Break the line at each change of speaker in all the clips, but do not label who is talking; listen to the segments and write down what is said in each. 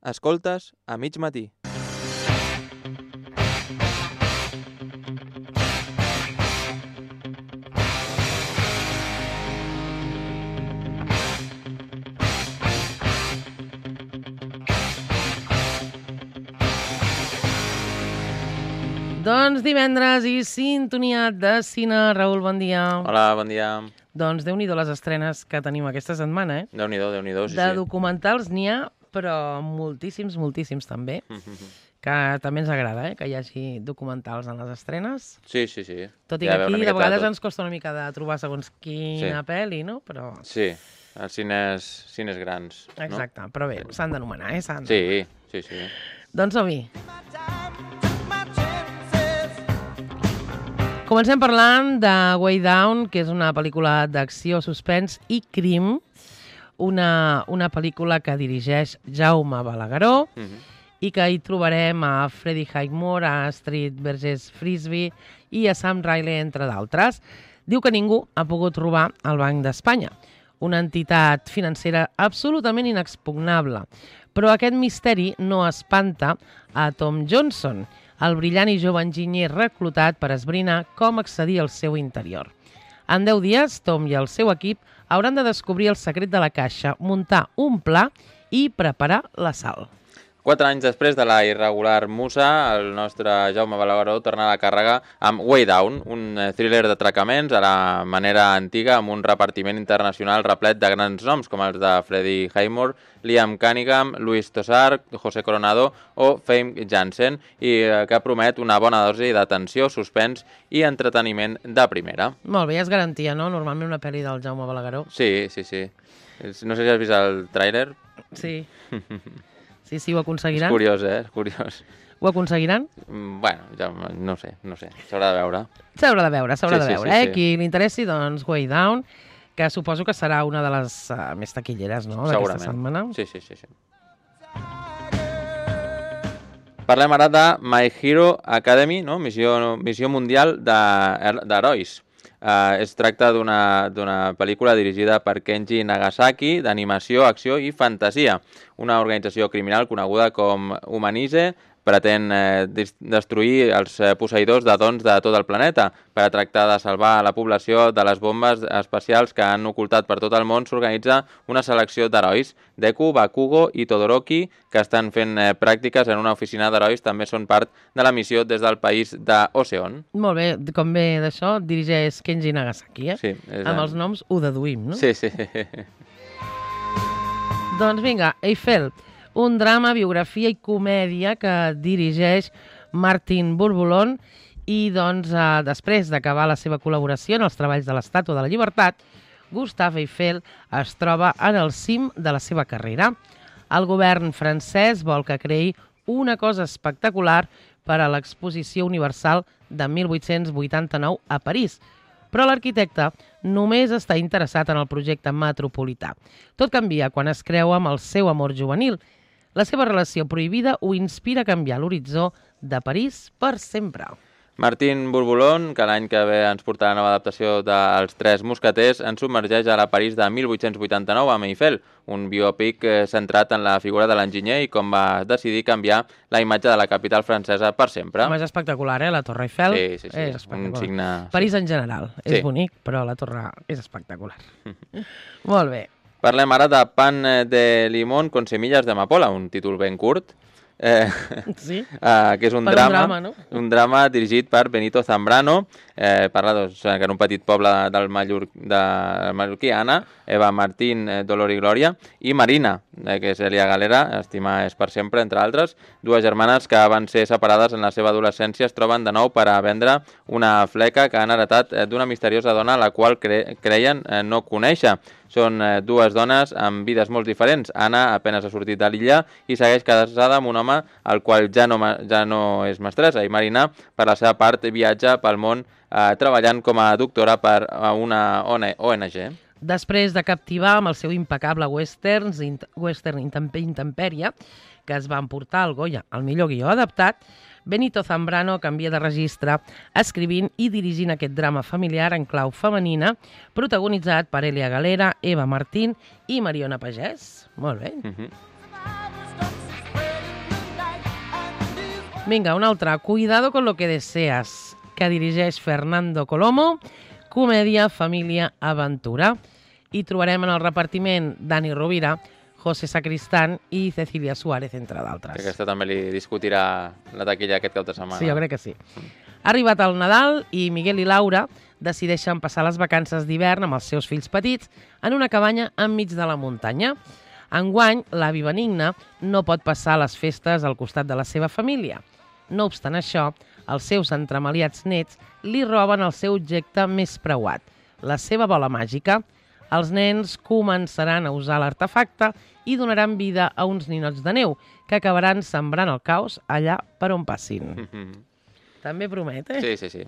Escoltes a mig matí.
Doncs divendres i sintonia de cine. Raül, bon dia.
Hola, bon dia.
Doncs Déu-n'hi-do les estrenes que tenim aquesta setmana, eh?
Déu-n'hi-do, sí.
De documentals n'hi ha, però moltíssims també. Que també ens agrada, que hi hagi documentals en les estrenes.
Sí.
Tot i que aquí de vegades ens costa una mica de trobar segons quina pel·li, no? Però...
Sí, els cines grans.
Exacte, no? Però bé, s'han d'anomenar,
Sí.
Doncs som-hi. Comencem parlant de Way Down, que és una pel·lícula d'acció, suspens i crim, una pel·lícula que dirigeix Jaume Balagueró i que hi trobarem a Freddie Highmore, a Astrid Vergés-Frisby i a Sam Riley, entre d'altres. Diu que ningú ha pogut robar el Banc d'Espanya, una entitat financera absolutament inexpugnable. Però aquest misteri no espanta a Tom Johnson, el brillant i jove enginyer reclutat per esbrinar com accedir al seu interior. En 10 dies, Tom i el seu equip hauran de descobrir el secret de la caixa, muntar un pla i preparar l'assalt.
4 anys després de la irregular Musa, el nostre Jaume Balagueró torna a la càrrega amb Way Down, un thriller d'atracaments a la manera antiga amb un repartiment internacional replet de grans noms com els de Freddie Highmore, Liam Cunningham, Luis Tosar, José Coronado o Famke Janssen, i que promet una bona dosi d'atenció, suspens i entreteniment de primera.
Molt bé, és garantia, no? Normalment una pel·li del Jaume Balagueró.
Sí. No sé si has vist el tràiler.
Sí. Sí, ho aconseguiran.
És curiós, És curiós.
Ho aconseguiran?
Bueno, ja no sé. S'haurà de veure.
S'haurà de veure,
Sí.
Qui li interessi, doncs, Way Down, que suposo que serà una de les més taquilleres, no?, d'aquesta setmana.
Sí. Parlem ara de My Hero Academy, no? Missió mundial d'herois. Es tracta d'una pel·lícula dirigida per Kenji Nagasaki, d'animació, acció i fantasia. Una organització criminal coneguda com Humanize pretén destruir els posseïdors de dons de tot el planeta. Per a tractar de salvar la població de les bombes espacials que han ocultat per tot el món, s'organitza una selecció d'herois. Deku, Bakugo i Todoroki, que estan fent pràctiques en una oficina d'herois, també són part de la missió des del país d'Oceon.
Molt bé, com bé d'això, dirigeix Kenji Nagasaki,
Sí.
Amb els noms ho deduïm, no?
Sí.
Doncs vinga, Eiffel, un drama, biografia i comèdia que dirigeix Martin Bourboulon i doncs després d'acabar la seva col·laboració en els treballs de l'Estàtua de la Llibertat, Gustave Eiffel es troba en el cim de la seva carrera. El govern francès vol que creï una cosa espectacular per a l'Exposició Universal de 1889 a París, però l'arquitecte només està interessat en el projecte metropolità. Tot canvia quan es creu amb el seu amor juvenil. La seva relació prohibida ho inspira a canviar l'horitzó de París per sempre.
Martin Bourboulon, que l'any que ve ens portarà la nova adaptació dels Tres Mosqueters, ens submergeix a la París de 1889 amb Eiffel, un biòpic centrat en la figura de l'enginyer i com va decidir canviar la imatge de la capital francesa per sempre.
Home, és espectacular, la Torre Eiffel.
Sí.
És espectacular.
Un signe...
París en general és bonic, però la Torre és espectacular. Molt bé.
Parlem ara de Pan de limón con semillas de amapola, un títol ben curt,
sí?
Que és un drama,
no?
Un drama dirigit per Benito Zambrano. Parla que en un petit poble de Mallorquiana, Eva Martín, Dolor i Glòria, i Marina, que és Elia Galera, Estimar és per sempre, entre altres. Dues germanes que van ser separades en la seva adolescència es troben de nou per a vendre una fleca que han heretat d'una misteriosa dona a la qual creien no conèixer. Són dues dones amb vides molt diferents. Anna apenas ha sortit de l'illa i segueix casada amb un home al qual ja no és mestressa. I Marina, per la seva part, viatja pel món treballant com a doctora per a una ONG.
Després de captivar amb el seu impecable western Intempèrie, que es va emportar al Goya, el millor guió adaptat, Benito Zambrano canvia de registre escrivint i dirigint aquest drama familiar en clau femenina, protagonitzat per Elia Galera, Eva Martín i Mariona Pagès. Molt bé. Vinga, una altra. Cuidado con lo que deseas, que dirigeix Fernando Colomo, comèdia, família, aventura. I trobarem en el repartiment Dani Rovira, José Sacristán i Cecilia Suárez, entre d'altres.
Aquesta també li discutirà la taquilla aquest cap de setmana.
Sí, jo crec que sí. Ha arribat el Nadal i Miguel i Laura decideixen passar les vacances d'hivern amb els seus fills petits en una cabanya enmig de la muntanya. Enguany, l'avi Benigna no pot passar les festes al costat de la seva família. No obstant això, els seus entremaliats nets li roben el seu objecte més preuat, la seva bola màgica. Els nens començaran a usar l'artefacte i donaran vida a uns ninots de neu que acabaran sembrant el caos allà per on passin. També promet, eh?
Sí.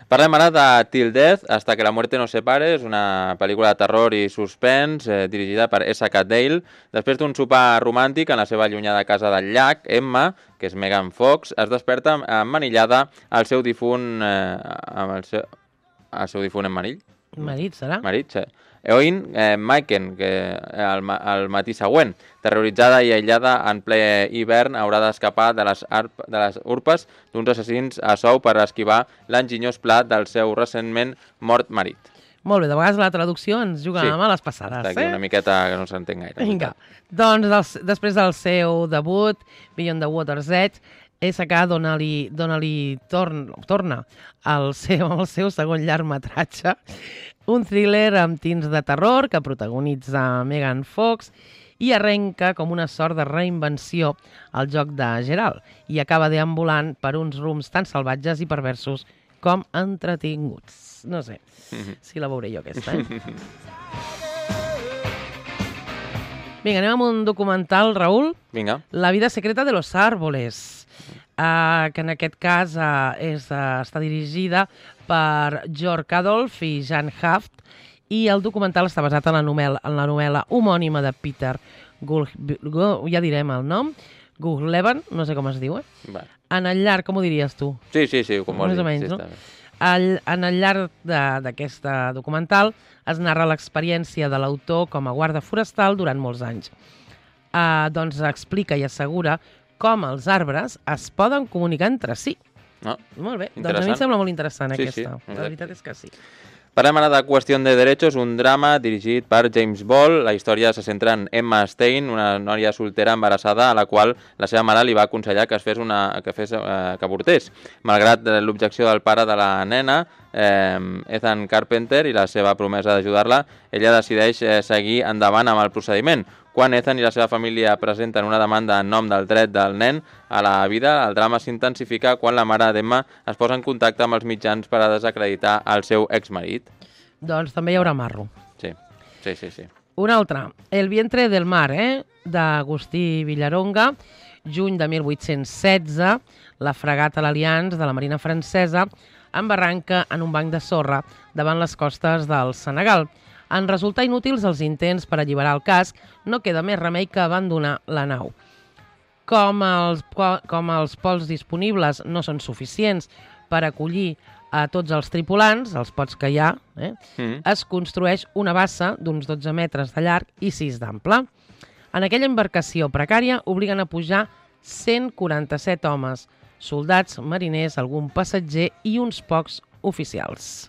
Parlem ara de Till Death, Hasta que la muerte nos separe. És una pel·lícula de terror i suspens dirigida per S.K. Dale. Després d'un sopar romàntic en la seva allunyada casa del llac, Emma, que és Megan Fox, es desperta emmanillada al seu difunt... al seu difunt emmanill?
Marit, serà?
Marit, sí. Eoin Maiken, que al matí següent, terroritzada i aïllada en ple hivern, haurà d'escapar de les urpes d'uns assassins a sou per esquivar l'enginyós pla del seu recentment mort marit.
Molt bé, de vegades la traducció ens juga a males passades,
Està aquí una miqueta que no s'entén gaire.
Vinga, doncs després del seu debut, Beyond the Water's Edge, S.K. Donnelly torna al seu segon llargmetratge, un thriller amb tints de terror que protagonitza Megan Fox i arrenca com una sort de reinvenció al joc de Geralt i acaba deambulant per uns rums tan salvatges i perversos com entretinguts. No sé si la veuré jo aquesta, Vinga, anem amb un documental, Raül.
Vinga.
La vida secreta de los árboles, que en aquest cas està dirigida per Jörg Adolf i Jan Haft, i el documental està basat en la novel·la homònima de Peter ja direm el nom, Guglevan, no sé com es diu, En el llarg, com ho diries tu?
Sí, com vols dir.
Més o menys, no? En el llarg d'aquest documental es narra l'experiència de l'autor com a guarda forestal durant molts anys. Doncs explica i assegura com els arbres es poden comunicar entre si. Molt bé, doncs a mi em sembla molt interessant aquesta. La veritat és que sí.
Parlem ara de Qüestió de Derechos, un drama dirigit per James Ball. La història se centra en Emma Stein, una noia soltera embarassada a la qual la seva mare li va aconsellar que avortés. Malgrat l'objecció del pare de la nena, Ethan Carpenter, i la seva promesa d'ajudar-la, ella decideix seguir endavant amb el procediment. Quan Ethan i la seva família presenten una demanda en nom del dret del nen a la vida, el drama s'intensifica quan la mare d'Emma es posa en contacte amb els mitjans per a desacreditar el seu exmarit.
Doncs també hi haurà marro.
Sí.
Un altre, El vientre del mar, d'Agustí Villaronga, juny de 1816, la fragata l'Alliance de la Marina francesa embarranca en un banc de sorra davant les costes del Senegal. En resultar inútils els intents per alliberar el casc, no queda més remei que abandonar la nau. Com els pols disponibles no són suficients per acollir a tots els tripulants, els pots que hi ha, es construeix una bassa d'uns 12 metres de llarg i 6 d'ample. En aquella embarcació precària obliguen a pujar 147 homes, soldats, mariners, algun passatger i uns pocs oficials.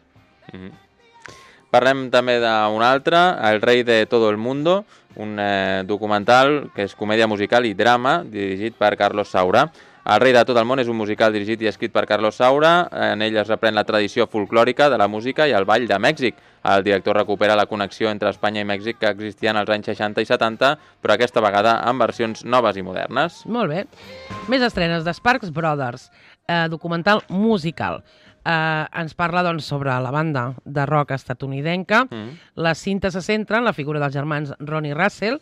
Parlem també d'un altre, El rei de todo el mundo, un documental que és comèdia musical i drama dirigit per Carlos Saura. El rei de tot el món és un musical dirigit i escrit per Carlos Saura. En ell es reprèn la tradició folclòrica de la música i el ball de Mèxic. El director recupera la connexió entre Espanya i Mèxic que existia en els anys 60 i 70, però aquesta vegada amb versions noves i modernes.
Molt bé. Més estrenes de Sparks Brothers, documental musical. Ens parla sobre la banda de rock estatunidenca. La cinta se centra en la figura dels germans Ronnie Russell,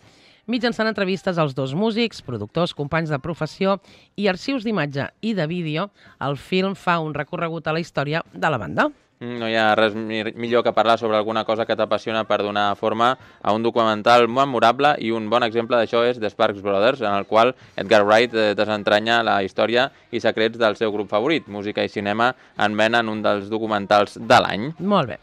mitjançant entrevistes als dos músics, productors, companys de professió i arxius d'imatge i de vídeo. El film fa un recorregut a la història de la banda.
No hi ha res millor que parlar sobre alguna cosa que t'apassiona per donar forma a un documental memorable, i un bon exemple d'això és The Sparks Brothers, en el qual Edgar Wright desentranya la història i secrets del seu grup favorit. Música i cinema en venen un dels documentals de l'any.
Molt bé.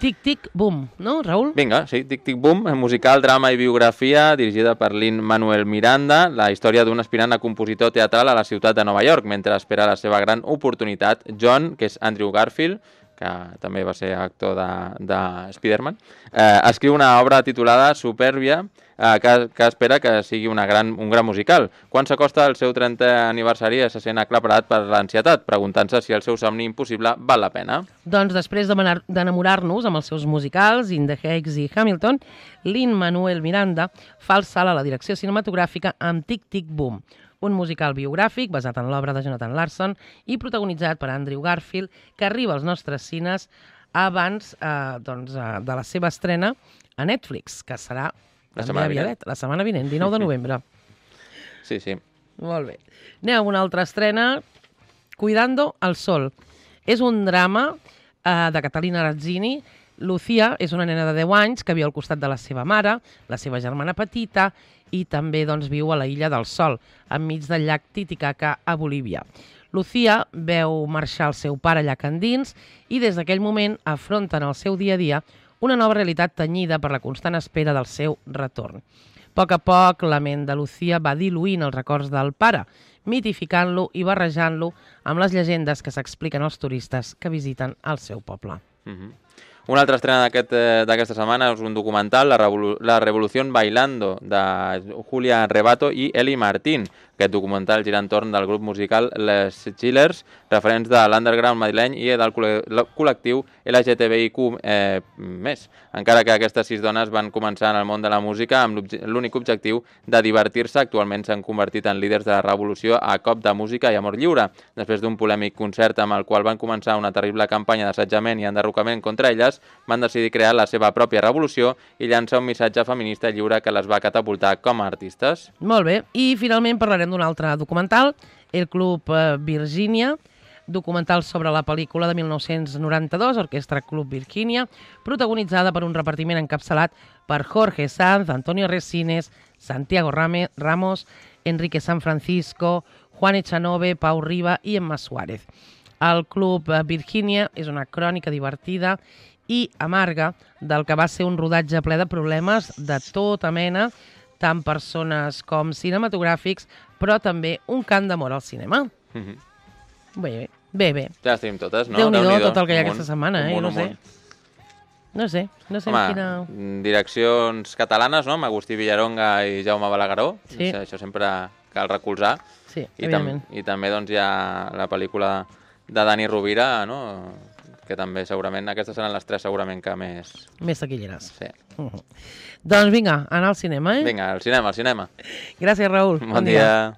Tic, tic, boom, no, Raül?
Vinga, sí, Tic Tic Boom, musical, drama i biografia, dirigida per Lin-Manuel Miranda, la història d'un aspirant a compositor teatral a la ciutat de Nova York, mentre espera la seva gran oportunitat. John, que és Andrew Garfield, que també va ser actor de Spider-Man, escriu una obra titulada Superbia, que espera que sigui un gran musical. Quan s'acosta el seu 30è aniversari se sent aclaparat per l'ansietat, preguntant-se si el seu somni impossible val la pena.
Doncs després d'enamorar-nos amb els seus musicals, In the Heights i Hamilton, Lin-Manuel Miranda fa el salt a la direcció cinematogràfica amb Tic Tic Boom, un musical biogràfic basat en l'obra de Jonathan Larson i protagonitzat per Andrew Garfield, que arriba als nostres cines abans de la seva estrena a Netflix, que serà la setmana vinent, 19 de novembre.
Sí, sí.
Molt bé. Anem a una altra estrena, Cuidando al Sol. És un drama de Catalina Razzini. Lucía és una nena de 10 anys que viu al costat de la seva mare, la seva germana petita, i també viu a la Illa del Sol, enmig del llac Titicaca, a Bolívia. Lucía veu marxar el seu pare llac endins i des d'aquell moment afronten el seu dia a dia una nova realitat tenyida per la constant espera del seu retorn. A poc, la ment de Lucía va diluint els records del pare, mitificant-lo i barrejant-lo amb les llegendes que s'expliquen als turistes que visiten el seu poble.
Una altra estrena d'aquesta setmana és un documental, La Revolución Bailando, de Julia Rebato i Eli Martín. Aquest documental gira entorn del grup musical Les Chillers, referents de l'underground madrileny i del col·lectiu LGTBIQ+. Encara que aquestes 6 dones van començar en el món de la música amb l'únic objectiu de divertir-se, actualment s'han convertit en líders de la revolució a cop de música i amor lliure. Després d'un polèmic concert amb el qual van començar una terrible campanya d'assetjament i enderrocament contra elles, van decidir crear la seva pròpia revolució i llançar un missatge feminista lliure que les va catapultar com a artistes.
Molt bé, i finalment parlarem d'un altre documental, El Club Virgínia, documental sobre la pel·lícula de 1992, Orquestra Club Virgínia, protagonitzada per un repartiment encapçalat per Jorge Sanz, Antonio Resines, Santiago Ramos, Enrique San Francisco, Juan Echanove, Pau Riba i Emma Suárez. El Club Virgínia és una crònica divertida i amarga del que va ser un rodatge ple de problemes de tota mena, tant persones com cinematogràfics, però també un cant d'amor al cinema. Bé.
Ja les tenim totes, no?
Déu-n'hi-do tot el que hi ha aquesta setmana, no sé. No sé quina...
Direccions catalanes, no? Amb Agustí Villaronga i Jaume Balagueró.
Sí.
Això sempre cal recolzar.
Sí, evidentment.
I també hi ha la pel·lícula de Dani Rovira, no? Que també segurament, aquestes seran les 3 segurament que més...
Més taquilleres.
Sí.
Doncs vinga, anar al cinema,
Vinga, al cinema.
Gràcies, Raül.
Bon dia.